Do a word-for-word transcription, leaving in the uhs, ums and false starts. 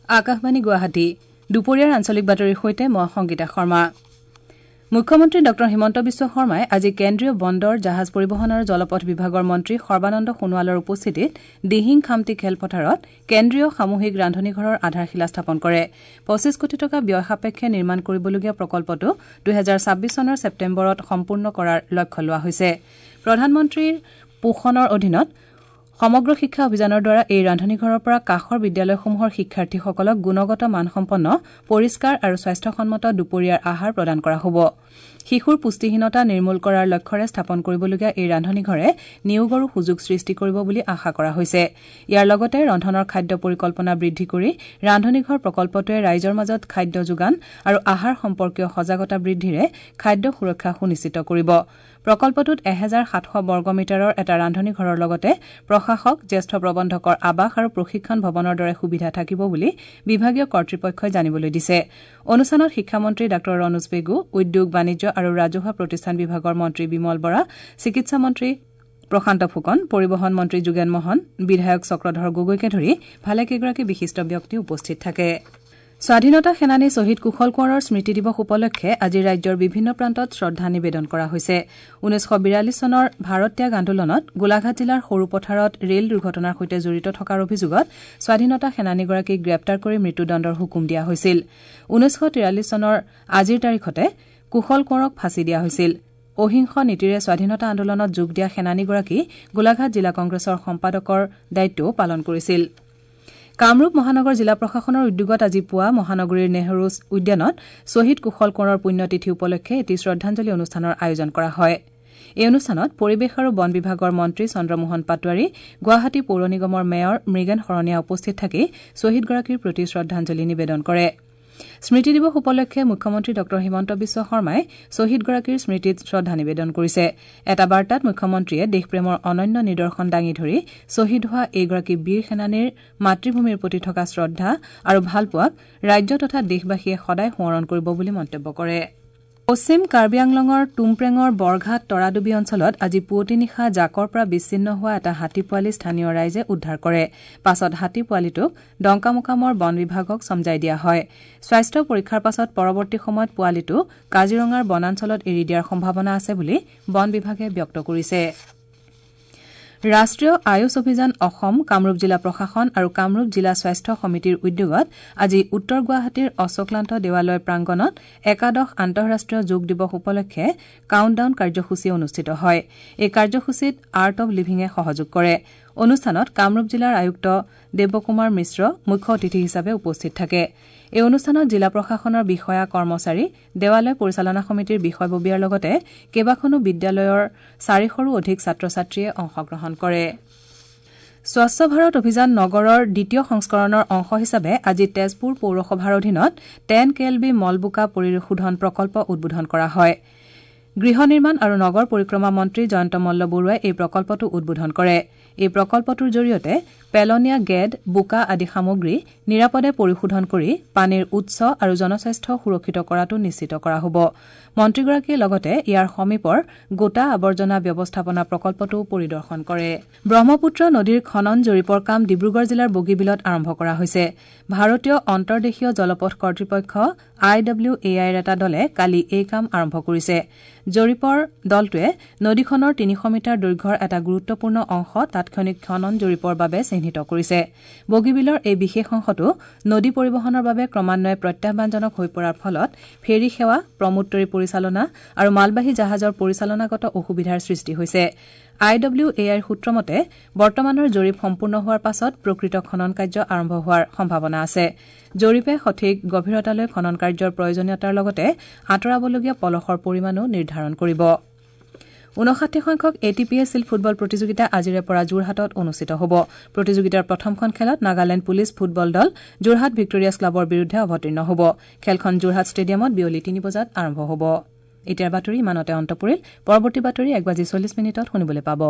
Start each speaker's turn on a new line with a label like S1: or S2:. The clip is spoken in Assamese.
S1: আকাশবাণী গুৱাহাটী দুপৰীয়াৰ আঞ্চলিক বাতৰিৰ সৈতে মই সংগীতা শৰ্মা। মুখ্যমন্ত্ৰী ডঃ হিমন্ত বিশ্ব শৰ্মাই আজি কেন্দ্ৰীয় বন্দৰ, জাহাজ পৰিবহণ আৰু জলপথ বিভাগৰ মন্ত্ৰী সৰ্বানন্দ সোণোৱালৰ উপস্থিতিত দিহিং খামতি খেলপথাৰত কেন্দ্ৰীয় সামূহিক ৰান্ধনীঘৰৰ আধাৰশিলা স্থাপন কৰে। পঁচিছ কোটি টকা ব্যয় সাপেক্ষে নিৰ্মাণ কৰিবলগীয়া প্ৰকল্পটো দুহেজাৰ ছাব্বিছ চনৰ ছেপ্তেম্বৰত সম্পূৰ্ণ কৰাৰ লক্ষ্য লোৱা হৈছে। প্ৰধানমন্ত্ৰীৰ পোষণৰ অধীনত সমগ্ৰ শিক্ষা অভিযানৰ দ্বাৰা এই ৰান্ধনীঘৰৰ পৰা কাষৰ বিদ্যালয়সমূহৰ শিক্ষাৰ্থীসকলক গুণগত মানসম্পন্ন, পৰিষ্কাৰ আৰু স্বাস্থ্যসন্মত দুপৰীয়াৰ আহাৰ প্ৰদান কৰা হ'ব। শিশুৰ পুষ্টিহীনতা নিৰ্মূল কৰাৰ লক্ষ্যৰে স্থাপন কৰিবলগীয়া এই ৰান্ধনীঘৰে নিয়োগৰো সুযোগ সৃষ্টি কৰিব বুলি আশা কৰা হৈছে। ইয়াৰ লগতে ৰন্ধনৰ খাদ্য পৰিকল্পনা বৃদ্ধি কৰি ৰান্ধনীঘৰ প্ৰকল্পটোৱে ৰাইজৰ মাজত খাদ্য যোগান আৰু আহাৰ সম্পৰ্কীয় সজাগতা বৃদ্ধিৰে খাদ্য সুৰক্ষা সুনিশ্চিত কৰিব। প্ৰকল্পটোত এহেজাৰ সাতশ বৰ্গ মিটাৰৰ এটা ৰান্ধনীঘৰৰ লগতে প্ৰশাসক, জ্যেষ্ঠ প্ৰবন্ধকৰ আৱাস আৰু প্ৰশিক্ষণ ভৱনৰ দৰে সুবিধা থাকিব বুলি বিভাগীয় কৰ্তৃপক্ষই জানিবলৈ দিছে। অনুষ্ঠানত শিক্ষামন্ত্ৰী ডাঃ ৰণোজ পেগু, উদ্যোগ, বাণিজ্য আৰু ৰাজহুৱা প্ৰতিষ্ঠান বিভাগৰ মন্ত্ৰী বিমল বৰা, চিকিৎসা মন্ত্ৰী প্ৰশান্ত ফুকন, পৰিবহণ মন্ত্ৰী যোগেন মহন, বিধায়ক চক্ৰধৰ গগৈকে ধৰি ভালেকেইগৰাকী বিশিষ্ট ব্যক্তি উপস্থিত থাকে। স্বাধীনতা সেনানী শ্বহীদ কুশল কোঁৱৰৰ স্মৃতি দিৱস উপলক্ষে আজি ৰাজ্যৰ বিভিন্ন প্ৰান্তত শ্ৰদ্ধা নিবেদন কৰা হৈছে। ঊনৈছশ বিৰাল্লিছ চনৰ ভাৰত ত্যাগ আন্দোলনত গোলাঘাট জিলাৰ সৰুপথাৰত ৰেল দুৰ্ঘটনাৰ সৈতে জড়িত থকাৰ অভিযোগত স্বাধীনতা সেনানীগৰাকীক গ্ৰেপ্তাৰ কৰি মৃত্যুদণ্ডৰ হুকুম দিয়া হৈছিল। ঊনৈছশ তিৰাল্লিছ চনৰ আজিৰ তাৰিখতে কুশল কোঁৱৰক ফাঁচী দিয়া হৈছিল। অহিংস নীতিৰে স্বাধীনতা আন্দোলনত যোগ দিয়া সেনানীগৰাকী গোলাঘাট জিলা কংগ্ৰেছৰ সম্পাদকৰ দায়িত্বও পালন কৰিছিল। কামৰূপ মহানগৰ জিলা প্ৰশাসনৰ উদ্যোগত আজি পুৱা মহানগৰীৰ নেহৰু উদ্যানত শ্বহীদ কুশল কোঁৱৰৰ পুণ্যতিথি উপলক্ষে এটি শ্ৰদ্ধাঞ্জলি অনুষ্ঠানৰ আয়োজন কৰা হয়। এই অনুষ্ঠানত পৰিৱেশ আৰু বন বিভাগৰ মন্ত্ৰী চন্দ্ৰমোহন পাটোৱাৰী, গুৱাহাটী পৌৰ নিগমৰ মেয়ৰ মৃগেন শৰণীয়া উপস্থিত থাকি শ্বহীদগৰাকীৰ প্ৰতি শ্ৰদ্ধাঞ্জলি নিবেদন কৰে। স্মৃতি দিৱস উপলক্ষে মুখ্যমন্ত্ৰী ডঃ হিমন্ত বিশ্ব শৰ্মাই শ্বহীদগৰাকীৰ স্মৃতিত শ্ৰদ্ধা নিবেদন কৰিছে। এটা বাৰ্তাত মুখ্যমন্ত্ৰীয়ে দেশপ্ৰেমৰ অনন্য নিদৰ্শন দাঙি ধৰি শ্বহীদ হোৱা এইগৰাকী বীৰ সেনানীৰ মাতৃভূমিৰ প্ৰতি থকা শ্ৰদ্ধা আৰু ভালপোৱাক ৰাজ্য তথা দেশবাসীয়ে সদায় সোঁৱৰণ কৰিব বুলি মন্তব্য কৰে। পশ্চিম কাৰ্বি আংলঙৰ টুমপ্ৰেঙৰ বৰঘাট তৰাডুবি অঞ্চলত আজি পুৱতি নিশা জাকৰ পৰা বিচ্ছিন্ন হোৱা এটা হাতী পোৱালি স্থানীয় ৰাইজে উদ্ধাৰ কৰে। পাছত হাতী পোৱালিটোক ডংকামোকামৰ বন বিভাগক চমজাই দিয়া হয়। স্বাস্থ্য পৰীক্ষাৰ পাছত পৰৱৰ্তী সময়ত পোৱালিটো কাজিৰঙাৰ বনাঞ্চলত এৰি দিয়াৰ সম্ভাৱনা আছে বুলি বন বিভাগে ব্যক্ত কৰিছে। ৰাষ্ট্ৰীয় আয়ুষ অভিযান অসম, কামৰূপ জিলা প্ৰশাসন আৰু কামৰূপ জিলা স্বাস্থ্য সমিতিৰ উদ্যোগত আজি উত্তৰ গুৱাহাটীৰ অশোকলান্ত দেৱালয় প্ৰাংগণত একাদশ আন্তঃৰাষ্ট্ৰীয় যোগ দিৱস উপলক্ষে কাউণ্টডাউন কাৰ্যসূচী অনুষ্ঠিত হয়। এই কাৰ্যসূচীত আৰ্ট অৱ লিভিঙে সহযোগ কৰে। অনুষ্ঠানত কামৰূপ জিলাৰ আয়ুক্ত দেৱকুমাৰ মিশ্ৰ মুখ্য অতিথি হিচাপে উপস্থিত থাকে। এই অনুষ্ঠানত জিলা প্ৰশাসনৰ বিষয়া কৰ্মচাৰী, দেৱালয় পৰিচালনা সমিতিৰ বিষয়ববীয়াৰ লগতে কেইবাখনো বিদ্যালয়ৰ চাৰিশৰো অধিক ছাত্ৰ ছাত্ৰীয়ে অংশগ্ৰহণ কৰে। স্বচ্ছ ভাৰত অভিযান নগৰৰ দ্বিতীয় সংস্কৰণৰ অংশ হিচাপে আজি তেজপুৰ পৌৰসভাৰ অধীনত টেন কে এল বি মলবোকা পৰিশোধন প্ৰকল্প উদ্বোধন কৰা হয়। গৃহ নিৰ্মাণ আৰু নগৰ পৰিক্ৰমা মন্ত্ৰী জয়ন্ত মল্ল বৰুৱাই এই প্ৰকল্পটো উদ্বোধন কৰে। এই প্ৰকল্পটোৰ জৰিয়তে পেলনীয়া গেদ, বোকা আদি সামগ্ৰী নিৰাপদে পৰিশোধন কৰি পানীৰ উৎস আৰু জনস্বাস্থ্য সুৰক্ষিত কৰাটো নিশ্চিত কৰা হ'ব। মন্ত্ৰীগৰাকীয়ে লগতে ইয়াৰ সমীপৰ গোটা আৱৰ্জনা ব্যৱস্থাপনা প্ৰকল্পটোও পৰিদৰ্শন কৰে। ব্ৰহ্মপুত্ৰ নদীৰ খনন জৰীপৰ কাম ডিব্ৰুগড় জিলাৰ বগীবিলত আৰম্ভ কৰা হৈছে। ভাৰতীয় অন্তৰ্দেশীয় জলপথ কৰ্তৃপক্ষ আই ডব্লিউ এ আইৰ এটা দলে কালি এই কাম আৰম্ভ কৰিছে। জৰীপৰ দলটোৱে নদীখনৰ তিনিশ মিটাৰ দৈৰ্ঘ্যৰ এটা গুৰুত্বপূৰ্ণ অংশ তাৎক্ষণিক খনন জৰীপৰ বাবে চিহ্নিত কৰিছে। বগীবিলৰ এই বিশেষ অংশটো নদী পৰিবহণৰ বাবে ক্ৰমান্বয়ে প্ৰত্যাহ্বানজনক হৈ পৰাৰ ফলত ফেৰী সেৱা, প্ৰমোদতৰী পৰিচালনা আৰু মালবাহী জাহাজৰ পৰিচালনাগত অসুবিধাৰ সৃষ্টি হৈছে। আই ডব্লিউ এ আইৰ সূত্ৰ মতে বৰ্তমানৰ জৰীপ সম্পূৰ্ণ হোৱাৰ পাছত প্ৰকৃত খনন কাৰ্য আৰম্ভ হোৱাৰ সম্ভাৱনা আছে। জৰীপে সঠিক গভীৰতালৈ খনন কাৰ্যৰ প্ৰয়োজনীয়তাৰ লগতে আঁতৰাবলগীয়া পলসৰ পৰিমাণো নিৰ্ধাৰণ কৰিব। ঊনষাঠি সংখ্যক A T P S shield football প্ৰতিযোগিতা আজিৰে পৰা যোৰহাটত অনুষ্ঠিত হ'ব। প্ৰতিযোগিতাৰ প্ৰথমখন খেলত নাগালেণ্ড পুলিচ ফুটবল দল যোৰহাট ভিক্টোৰিয়াছ ক্লাবৰ বিৰুদ্ধে অৱতীৰ্ণ হ'ব। খেলখন যোৰহাট ষ্টেডিয়ামত বিয়লি তিনি বজাত আৰম্ভ হ'ব। এতিয়াৰ বাতৰি ইমানতে অন্ত পৰিল। পৰৱৰ্তী বাতৰি এক বাজি চল্লিছ মিনিটত শুনিবলৈ পাব।